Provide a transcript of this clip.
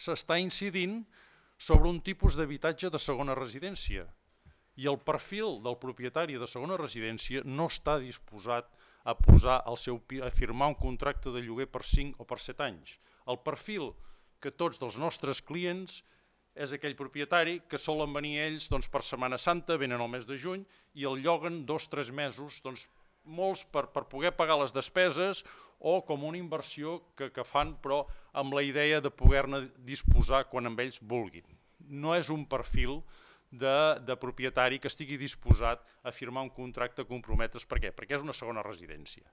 s'està incidint sobre un tipus d'habitatge de segona residència. I el perfil del propietari de segona residència no està disposat a firmar un contracte de lloguer per 5 o per 7 anys. El perfil que tots dels nostres clients és aquell propietari que solen venir ells per Setmana Santa, venen al mes de juny i el lloguen 2 o 3 mesos, molts per poder pagar les despeses o com una inversió que fan, però amb la idea de poder-ne disposar quan amb ells vulguin. No és un perfil de propietari que estigui disposat a firmar un contracte a comprometre's. Per què? Perquè és una segona residència.